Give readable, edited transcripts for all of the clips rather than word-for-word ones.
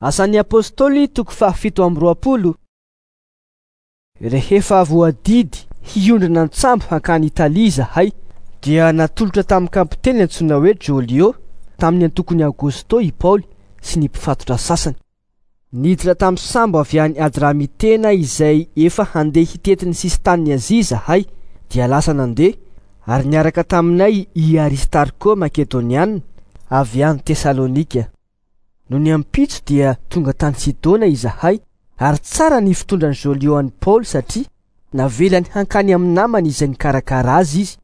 Asan'ny Apostoly toko faha-27. Rehefa voadidy hiondrana an-tsambo hankany Italia izahay, dia natolotra tamin'ny kapiteny antsoina hoe Jolio tamin'ny antokon'i Aogosto i Paoly sy ny mpifatotra sasany. Niditra tamin'ny sambo avy any Adramitena izay efa handeha hitety ny sisin-tanin'i Azia izahay, dia lasa nandeha, ary niaraka taminay i Aristarko Makedoniana avy any Tesalonika. Nony ampitso dia tonga tany Sidona izahay, ary tsara ny fitondran'i Jolio an'i Paoly satria navelany hankany amin'ny namany izay nikarakara azy izy.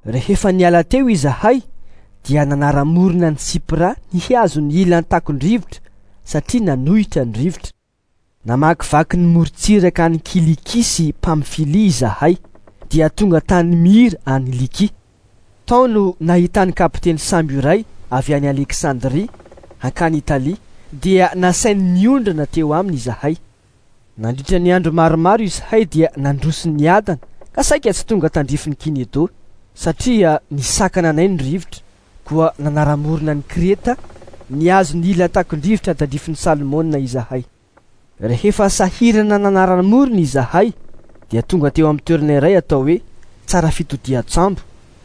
Rehefa niala teo izahay dia nanara-morona an'i Sipra nihazo ny ilan'ny takon-drivotra satria nanohitra ny rivotra. Namakivaky ny morontsiraka any Kilikia sy Pamfilia izahay dia tonga tany Myra any Likia. Tao no nahitan'ny kapiteny sambo iray avy any Aleksandria hankany Italia, dia nasainy niondrana teo aminy izahay. Nandritra ny andro maromaro izahay dia nandroso niadana ka saika tsy tonga tandrifin'i Kinedo, satria nisakana anay ny rivotra, koa nanara-morona an'i Kreta nihazo ny ila takon-drivotra tandrifin'i Salmona izahay. Rehefa sahirana nanara-morona izahay, dia tonga teo amin'ny toerana iray atao hoe Tsara Fitodian-tsambo,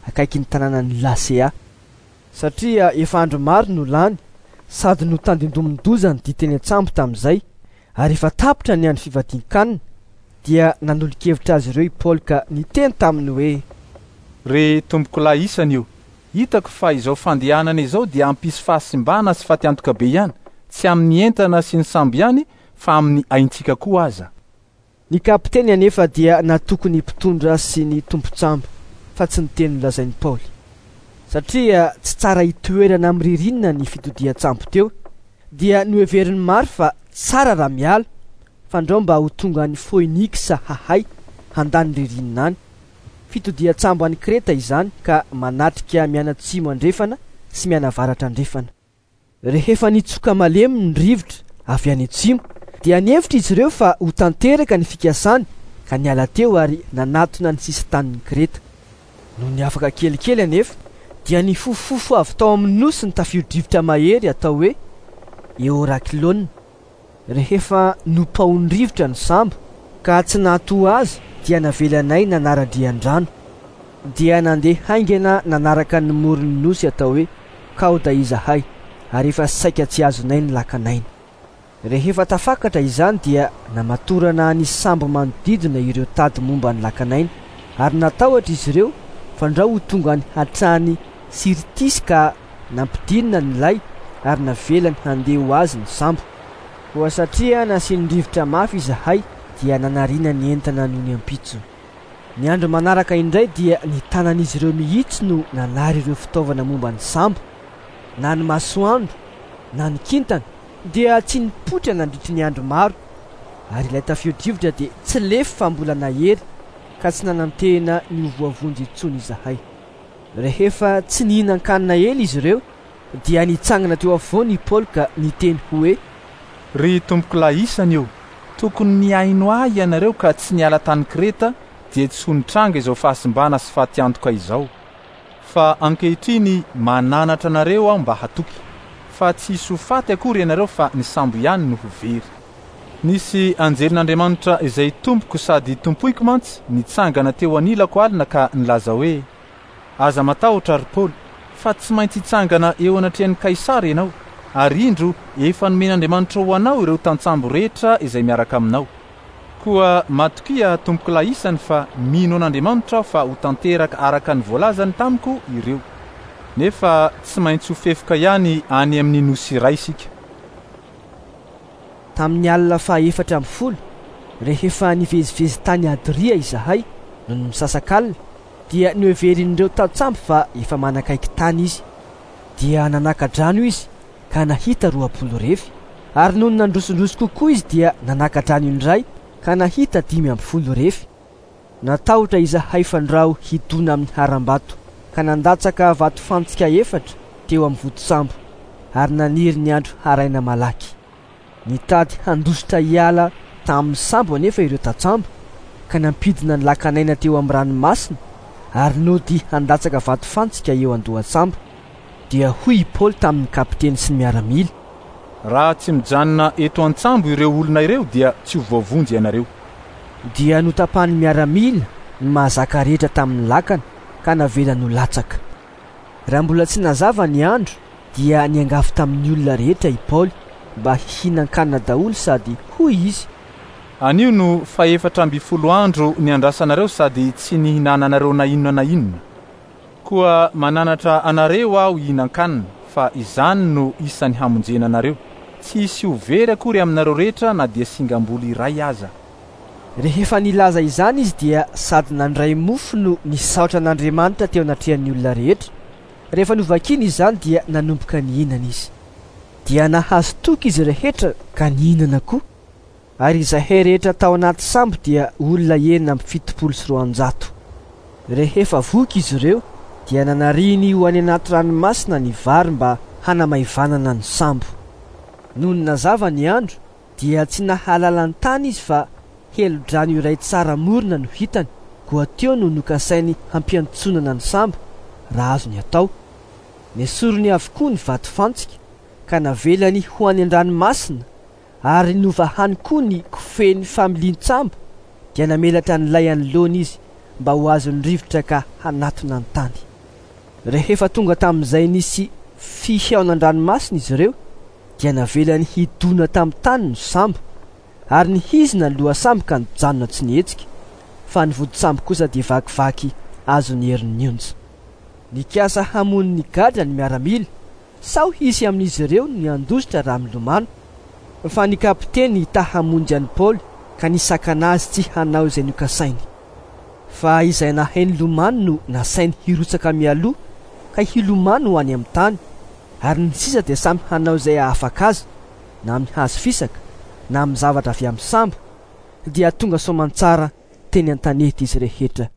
akaikin'ny tanànan'i Lasea. Satria efa andro maro no lany sady notandindomin-doza ny dia teny an-tsambo tamin'izay, ary efa tapitra ny andro fivadian-kanina, dia nanolo-kevitra azy ireo i Paoly ka niteny taminy hoe. Ry tompokolahy isany o, hitako fa izao fandehanana izao dia hampisy fahasimbana sy fatiantoka be ihany, tsy amin'ny entana sy ny sambo ihany fa amin'ny aintsika koa aza. Ny kapiteny anefa dia natoky ny mpitondra sy ny tompon-tsambo, fa tsy ny teny nolazain'i Paoly. Satria tsy tsara hitoerana amin'ny ririnina ny fitodian-tsambo teo, dia noheverin'ny maro fa tsara raha miala, fandrao mba ho tonga any Foiniksa hahay handany ririnina any. Fitodian-tsambo any Kreta izany ka manatrika mianatsimo andrefana sy mianavaratra andrefana. Rehefa nitsoka malemy ny rivotra avy any atsimo, dia nihevitra izy ireo fa ho tanteraka ny fikasany ka niala teo ary nanatona ny sisin-tanin'i Kreta. Nony afaka kelikely anefa, dia nifofofofo avy tao amin'ny nosy ny tafio-drivotra mahery atao hoe Eorakilona. Rehefa nopaohin'ny rivotra ny sambo ka tsy nahatoha azy dia navelanay nanara-drian-drano. Dia nandeha haingana nanaraka ny moron'ny nosy atao hoe Kaoda izahay ary efa saika tsy azonay ny lakan'aina. Rehefa tafakatra izany dia namatorana ny sambo manodidina ireo tady momba ny lakan'aina ary natahotra izy ireo fandrao ho tonga any hatrany Sirtisy ka nampidinina ny lay ary navelany handeha ho azy ny sambo. Koa satria nasian'ny rivotra mafy izahay dia nanariana ny entana nony ampitso. Ny andro manaraka indray dia ny tanan'izy ireo mihitsy no nanary ireo fitaovana momba ny sambo. Na ny masoandro na ny kintana dia tsy nipoitra nandritry ny andro maro, ary ilay tafio-drivotra dia tsy lefy fa mbola nahery ka tsy nanantena ny ho voavonjy intsony izahay. Rehefa tsy nihinan-kanina ela izy ireo dia nitsangana teo afovoany i Paoly ka niteny hoe. Ry tompokolahy isany o, tokony nihaino ahy ianareo ka tsy niala tany Kreta dia tsy ho nitranga izao fahasimbana sy fatiantoka izao. Fa ankehitriny mananatra anareo aho mba hatoky, fa tsy hisy ho faty akory ianareo fa ny sambo ihany no ho very. Nisy anjelin'Andriamanitra izay tompoko sady tompoiko mantsy nitsangana teo anilako alina ka nilaza hoe, Aza matahotra, ry Paoly, fa tsy maintsy hitsangana eo anatrehan'i Kaisara ianao, ary indro efa nomen'Andriamanitra ho anao ireo tantsambo rehetra izay miaraka aminao. Koa matokia, tompokolahy isany, fa mino an'Andriamanitra aho fa ho tanteraka araka ny voalazany tamiko ireo. Nefa tsy maintsy ho fefoka ihany any amin'ny nosy iray isika. Tamin'ny alina faha-14, rehefa nivezivezy tany Adria izahay, nony misasak'alina, dia noheverin'ireo tantsambo fa efa manakaiky tany izy. Dia nanaka-drano izy ka nahita 20 refy, ary nony nandrosondroso kokoa izy dia nanaka-drano indray ka nahita 15 refy. Natahotra izahay fandrao hidona amin'ny harambato, ka nandatsaka vatofantsika efatra teo amin'ny vodisambo, ary naniry ny andro haraina malaky. Nitady handositra hiala tamin'ny sambo anefa ireo tantsambo, ka nampidina ny lakan'aina teo amin'ny ranomasina ary nody handatsaka vatofantsika eo an-dohan-tsambo. Dia hoy i Paoly tamin'ny kapiteny sy ny miaramila. Raha tsy mijanona eto an-tsambo ireo olona ireo dia tsy ho voavonjy ianareo. Dia notapahan'ny miaramila ny mahazaka rehetra tamin'ny lakana ka navelany ho latsaka. Raha mbola tsy nazava ny andro dia niangavy tamin'ny olona rehetra i Paoly mba hihinan-kanina daholo sady hoy izy: Anio no fahefatra ambin'ny folo andro niandrasanareo sady tsy nihinananareo na inona na inona. Koa mananatra anareo aho hihinan-kanina, fa izany no isan'ny hamonjena anareo. Tsy hisy ho very akory aminareo rehetra na dia singam-bolo iray aza. Rehefa nilaza izany izy dia sady nandray mofo no nisaotra an'Andriamanitra teo anatrehan'ny olona rehetra. Rehefa novakiny izany dia nanomboka nihinana izy. Dia nahazo toky izy rehetra ka nihinana koa. Ary izahay rehetra tao anaty sambo dia olona 276. Rehefa voky izy ireo dia nanariny ho any anaty ranomasina ny vary mba hanamaivanana ny sambo. Nony nazava ny andro dia tsy nahalala ny tany izy fa helodrano iray tsara morona no hitany, koa teo no nokasainy hampiantsonana ny sambo raha azony atao. Nesoriny avokoa ny vatofantsika ka navelany ho any an-dranomasina, ary novahany koa ny kofehy familian-tsambo, dia namelatra ny lay anoloana izy mba ho azon'ny rivotra ka hanatona ny tany. Rehefa tonga tamin'izay nisy fihaonan-dranomasina izy ireo dia navelany hidona tamin'ny tany ny sambo, ary nihizina ny lohasambo ka nijanona tsy nihetsika, fa ny vodintsambo kosa dia vakivaky azon'ny herin'ny onja. Nikasa hamono ny gadra ny miaramila, sao hisy amin'izy ireo ny handositra raha milomano, fa ny kapiteny ta hamonjy an'i Paoly ka nisakana azy tsy hanao izay nokasainy. Fa izay nahay nilomano no nasainy hirotsaka mialoha ka hilomano ho any amin'ny tany, ary ny sisa dia samy hanao izay hahafaka azy, na amin'ny hazo fisaka, na amin'ny zavatra avy amin'ny sambo, dia tonga soamantsara teny an-tanety izy rehetra.